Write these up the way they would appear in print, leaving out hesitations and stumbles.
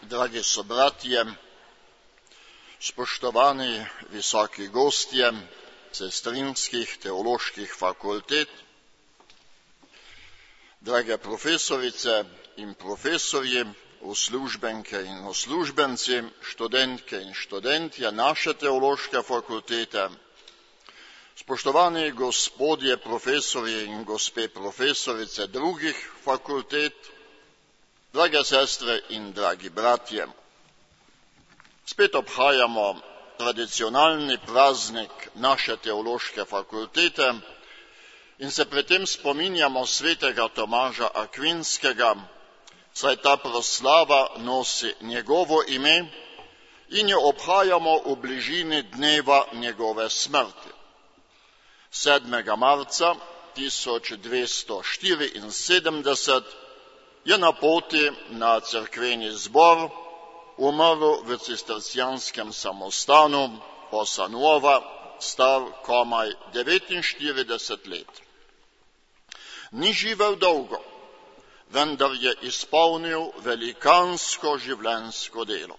dragi sobratje, spoštovani visoki gostje sestrinskih teoloških fakultet, drage profesorice in profesorji, uslužbenke in uslužbenci, študentke in študentje naše teološke fakultete, spoštovani gospodje profesorji in gospe profesorice drugih fakultet, drage sestre in dragi bratje. Spet obhajamo tradicionalni praznik naše teološke fakultete in se pri tem spominjamo svetega Tomaža Akvinskega, saj ta proslava nosi njegovo ime in jo obhajamo v bližini dneva njegove smrti. 7. marca 1274 je na poti na cerkveni zbor umrl v cistercijanskem samostanu Fossa Nuova, star komaj 49 let. Ni živel dolgo, vendar je izpolnil velikansko življenjsko delo.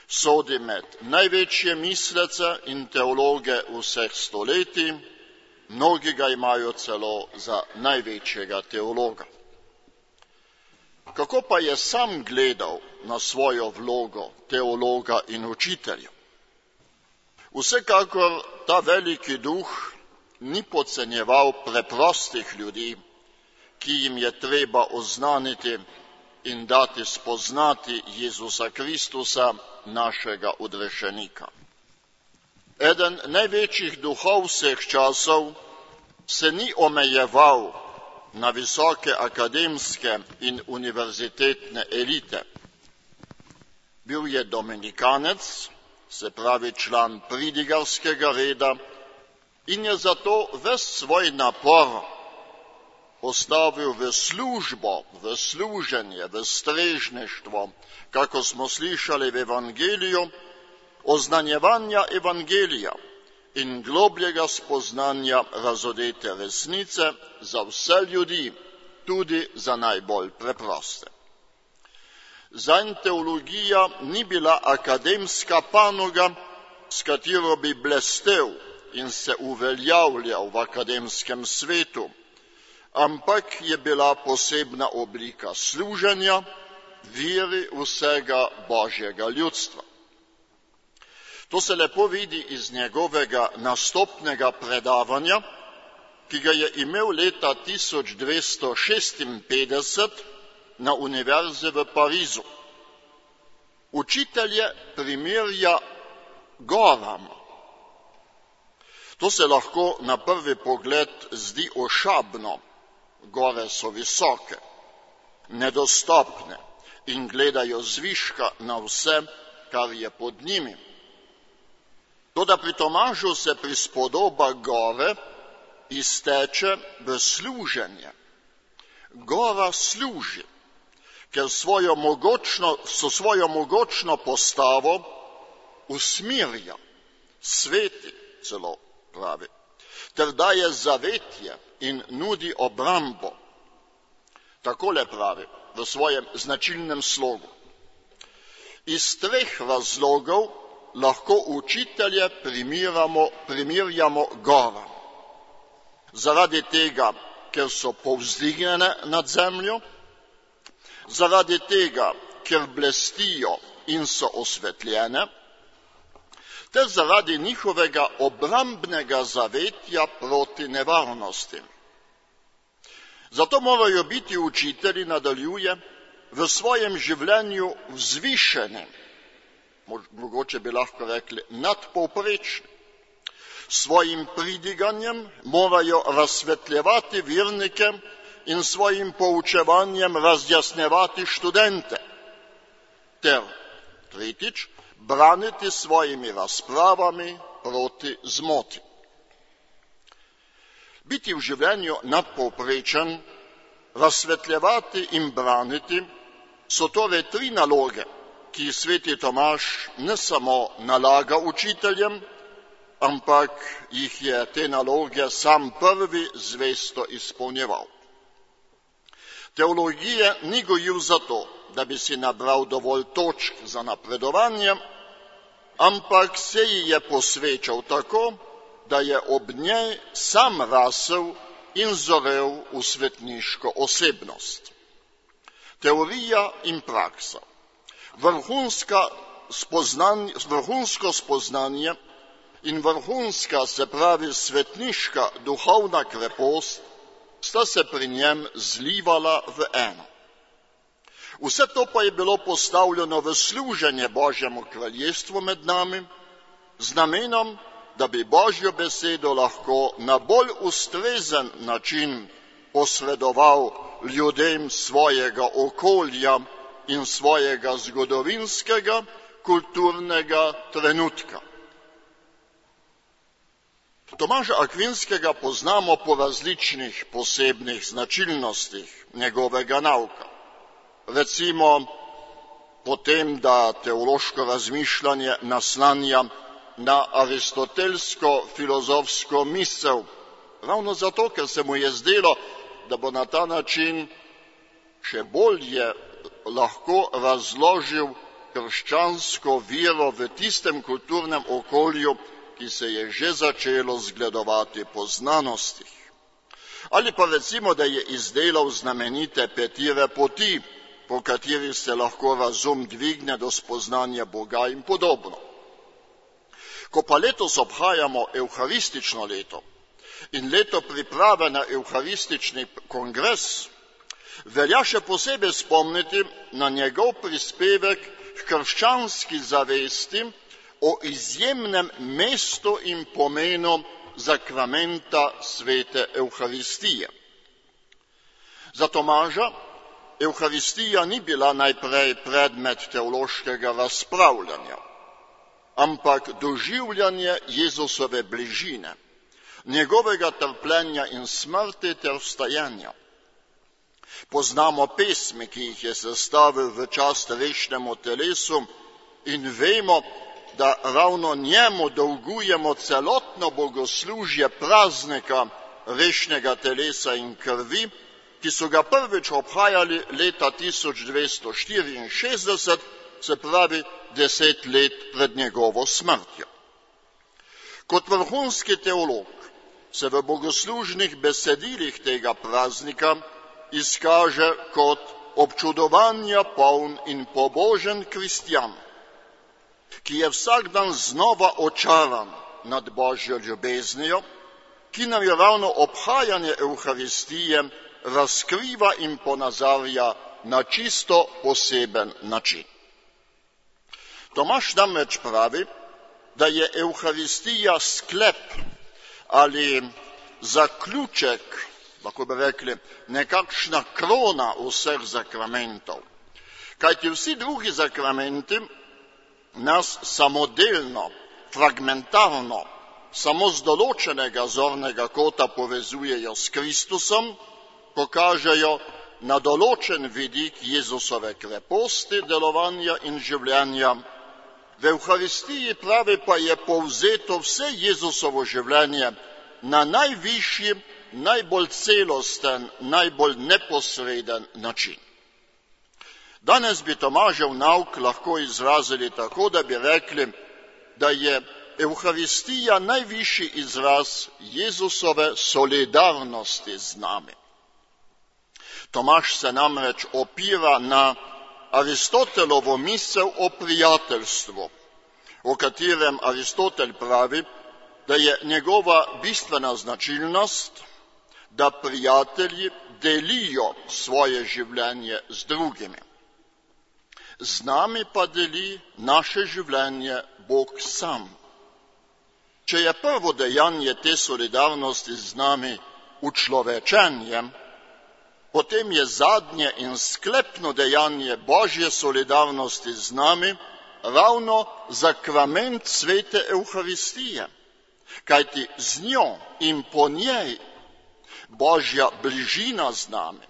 Sodi med največje mislece in teologe vseh stoletij, mnogi ga imajo celo za največjega teologa. Kako pa je sam gledal na svojo vlogo teologa in učitelja? Vsekakor ta veliki duh ni podcenjeval preprostih ljudi, ki jim je treba oznaniti in dati spoznati Jezusa Kristusa, našega odrešenika. Eden največjih duhov vseh časov se ni omejeval na visoke akademske in univerzitetne elite. Bil je dominikanec, se pravi član pridigarskega reda, in je zato ves svoj napor postavil v službo, v služenje, v strežništvo, kako smo slišali v Evangeliju, oznanjevanja Evangelija in globljega spoznanja razodete resnice za vse ljudi, tudi za najbolj preproste. Zanj teologija ni bila akademska panoga, s katero bi blestel in se uveljavljal v akademskem svetu, ampak je bila posebna oblika služenja veri vsega Božjega ljudstva. To se lepo vidi iz njegovega nastopnega predavanja, ki ga je imel leta 1256 na univerzi v Parizu. Učitelje primerja goram. To se lahko na prvi pogled zdi ošabno. Gore so visoke, nedostopne in gledajo zviška na vse, kar je pod njimi. Toda pri Tomažu se prispodoba gore izteče v služenje. Gora služi, ker svojo mogočno postavo usmirja, sveti celo pravi, ter daje zavetje in nudi obrambo. Takole pravi v svojem značilnem slogu. Iz 3 razlogov lahko učitelje primerjamo goram. Zaradi tega, ker so povzdignjene nad zemljo, zaradi tega, ker blestijo in so osvetljene, ter zaradi njihovega obrambnega zavetja proti nevarnosti. Zato morajo biti učitelji, nadaljuje, v svojem življenju vzvišeni, mogoče bi lahko rekli nadpovprečni. Svojim pridiganjem morajo razsvetljevati vernike in svojim poučevanjem razjasnjevati študente. Ter, tretjič, braniti svojimi razpravami proti zmoti. Biti v življenju nadpovprečen, razsvetljevati in braniti so torej 3 naloge, ki sveti Tomaž ne samo nalaga učiteljem, ampak jih je te naloge sam prvi zvesto izpolnjeval. Teologije ni gojil zato, da bi si nabral dovolj točk za napredovanje, ampak se ji je posvečal tako, da je ob njej sam rasel in zorel v svetniško osebnost. Teorija in praksa. Vrhunsko spoznanje in vrhunska, se pravi svetniška duhovna krepost, sta se pri njem zlivala v eno. Vse to pa je bilo postavljeno v služenje Božjemu kraljestvu med nami, z namenom, da bi Božjo besedo lahko na bolj ustrezen način posredoval ljudem svojega okolja in svojega zgodovinskega, kulturnega trenutka. Tomaža Akvinskega poznamo po različnih posebnih značilnostih njegovega nauka. Recimo po tem, da teološko razmišljanje naslanja na aristotelsko-filozofsko misel, ravno zato, ker se mu je zdelo, da bo na ta način še bolje lahko razložil krščansko vero v tistem kulturnem okolju, ki se je že začelo zgledovati po znanostih. Ali pa recimo, da je izdelal znamenite petire poti, po katerih se lahko razum dvigne do spoznanja Boga in podobno. Ko pa letos obhajamo evharistično leto in leto priprave na evharistični kongres, velja še posebej spomniti na njegov prispevek k krščanski zavesti o izjemnem mestu in pomenu zakramenta svete Evharistije. Za Tomaža Evharistija ni bila najprej predmet teološkega razpravljanja, ampak doživljanje Jezusove bližine, njegovega trpljenja in smrti ter vstajanja. Poznamo pesmi, ki jih je sestavil v čast vešnemu telesu, in vemo, da ravno njemu dolgujemo celotno bogoslužje praznika vešnega telesa in krvi, ki so ga prvič obhajali leta 1264, se pravi 10 let pred njegovo smrtjo. Kot vrhunski teolog se v bogoslužnih besedilih tega praznika izkaže kot občudovanja poln in pobožen kristjan, ki je vsak dan znova očaran nad Božjo ljubeznijo, ki nam je ravno obhajanje Evharistije razkriva in ponazarja na čisto poseben način. Tomaž namreč pravi, da je Evharistija sklep ali zaključek, lahko bi rekli, nekakšna krona vseh zakramentov. Kajti vsi drugi zakramenti nas samodelno, fragmentarno, samo z določenega zornega kota povezujejo s Kristusom, pokažejo na določen vidik Jezusove kreposti, delovanja in življenja. V Evharistiji, pravi, pa je povzeto vse Jezusovo življenje na najvišji, najbolj celosten, najbolj neposreden način. Danes bi Tomažev nauk lahko izrazili tako, da bi rekli, da je Evharistija najvišji izraz Jezusove solidarnosti z nami. Tomaž se namreč opira na Aristotelovo misel o prijateljstvu, o katerem Aristotel pravi, da je njegova bistvena značilnost, da prijatelji delijo svoje življenje z drugimi. Z nami pa deli naše življenje Bog sam. Če je prvo dejanje te solidarnosti z nami učlovečenje, potem je zadnje in sklepno dejanje Božje solidarnosti z nami ravno zakrament svete Evharistije, kajti z njo in po njej Božja bližina z nami,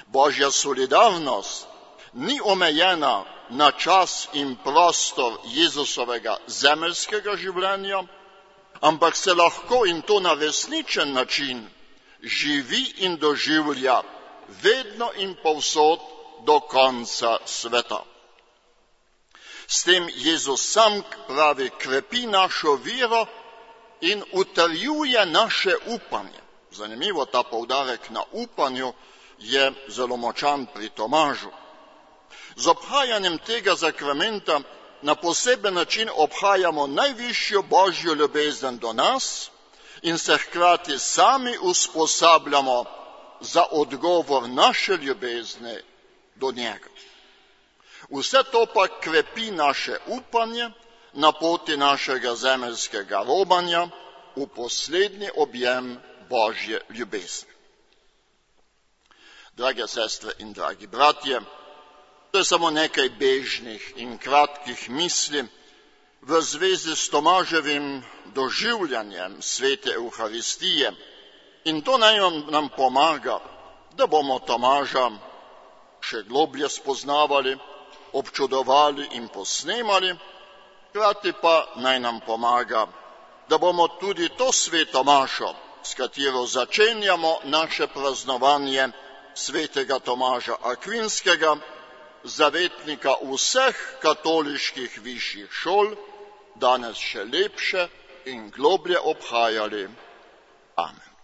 Božja solidarnost ni omejena na čas in prostor Jezusovega zemeljskega življenja, ampak se lahko, in to na resničen način, živi in doživlja vedno in povsod do konca sveta. S tem Jezus sam, pravi, krepi našo vero in utrjuje naše upanje. Zanimivo, ta poudarek na upanju je zelo močan pri Tomažu. Z obhajanjem tega zakramenta na poseben način obhajamo najvišjo Božjo ljubezen do nas in se hkrati sami usposabljamo za odgovor naše ljubezne do njega. Vse to pa krepi naše upanje na poti našega zemeljskega robanja v poslednji objem Božje ljubezni. Drage sestre in dragi bratje, to je samo nekaj bežnih in kratkih misli v zvezi s Tomaževim doživljanjem svete Evharistije in to naj nam pomaga, da bomo Tomaža še globlje spoznavali, občudovali in posnemali, hkrati pa naj nam pomaga, da bomo tudi to sveto mašo, s katero začenjamo naše praznovanje svetega Tomaža Akvinskega, zavetnika vseh katoliških višjih šol, danes še lepše in globlje obhajali. Amen.